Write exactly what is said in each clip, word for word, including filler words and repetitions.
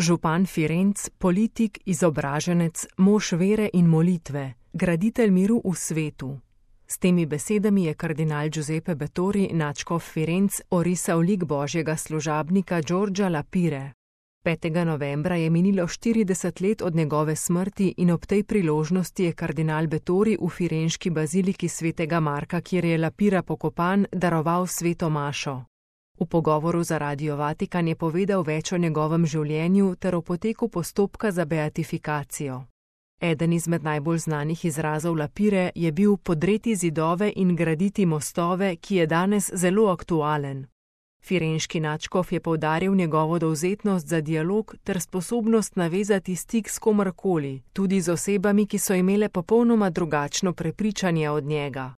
župan Firenc, politik, izobraženec, mož vere in molitve, graditelj miru v svetu. S temi besedami je kardinal Giuseppe Bettori, nadškof Firenc, orisal lik božjega služabnika Giorgia Lapire. petega novembra je minilo štirideset let od njegove smrti in ob tej priložnosti je kardinal Bettori v firenški baziliki svetega Marka, kjer je Lapira pokopan, daroval sveto mašo. V pogovoru za Radio Vatikan je povedal več o njegovem življenju ter o poteku postopka za beatifikacijo. Eden izmed najbolj znanih izrazov Lapire je bil podreti zidove in graditi mostove, ki je danes zelo aktualen. Firenški nadškof je poudaril njegovo dovzetnost za dialog ter sposobnost navezati stik s komorkoli, tudi z osebami, ki so imele popolnoma drugačno prepričanje od njega.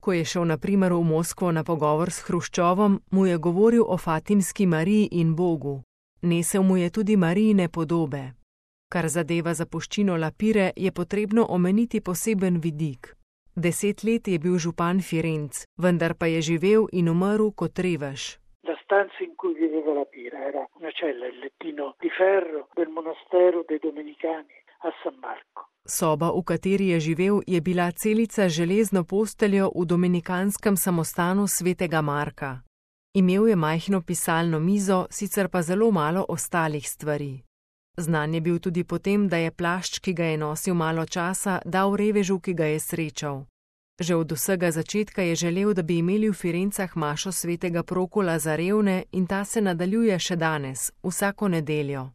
Ko je šel na primer v Moskvo na pogovor s Hruščovom, mu je govoril o Fatimski Mariji in Bogu. Nesel mu je tudi Marijine podobe. Kar zadeva zapuščino Lapire, je potrebno omeniti poseben vidik. Deset let je bil župan Firenc, vendar pa je živel in umrl kot revež. La stanza in cui viveva Lapira era una cella, il lettino di ferro del monastero dei Domenicani a San Marco. Soba, v kateri je živel, je bila celica z železno posteljo v dominikanskem samostanu svetega Marka. Imel je majhno pisalno mizo, sicer pa zelo malo ostalih stvari. Znan je bil tudi potem, da je plašč, ki ga je nosil malo časa, dal revežu, ki ga je srečal. Že od vsega začetka je želel, da bi imeli v Firencah mašo svetega Prokola za revne in ta se nadaljuje še danes, vsako nedeljo.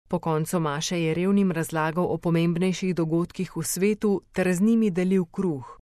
Po koncu maše je revnim razlagal o pomembnejših dogodkih v svetu ter z njimi delil kruh.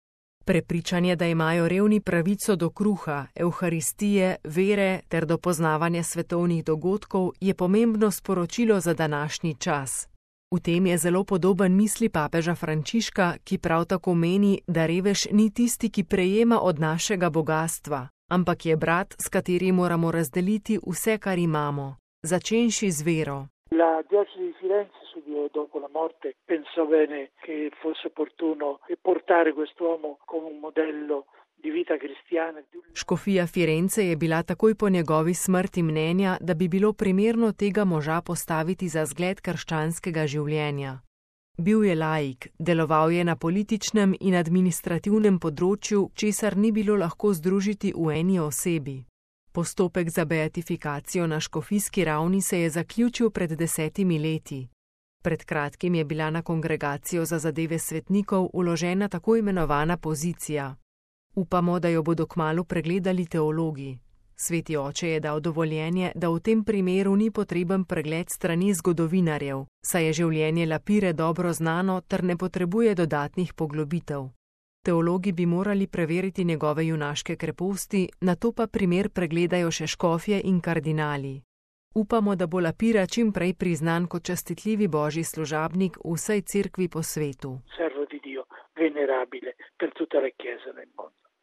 Prepričanje, da imajo revni pravico do kruha, evharistije, vere ter do poznavanja svetovnih dogodkov, je pomembno sporočilo za današnji čas. V tem je zelo podoben misli papeža Frančiška, ki prav tako meni, da revež ni tisti, ki prejema od našega bogastva, ampak je brat, s katerim moramo razdeliti vse, kar imamo, začenši z vero. La diocesi di Firenze subito dopo la morte pensò bene che fosse opportuno portare quest'uomo come un modello di vita cristiana. Škofija Firence je bila takoj po njegovi smrti mnenja, da bi bilo primerno tega moža postaviti za zgled krščanskega življenja. Bil je laik, deloval je na političnem in administrativnem področju, česar ni bilo lahko združiti v eni osebi. Postopek za beatifikacijo na škofijski ravni se je zaključil pred desetimi leti. Pred kratkim je bila na kongregacijo za zadeve svetnikov vložena tako imenovana pozicija. Upamo, da jo bodo kmalu pregledali teologi. Sveti oče je dal dovoljenje, da v tem primeru ni potreben pregled strani zgodovinarjev, saj je življenje Lapire dobro znano ter ne potrebuje dodatnih poglobitev. Teologi bi morali preveriti njegove junaške kreposti, nato pa primer pregledajo še škofje in kardinali. Upamo, da bo Lapira čim prej priznan kot častitljivi božji služabnik v vsej cerkvi po svetu. Servo di Dio, venerabile per tutta la Chiesa nel mondo.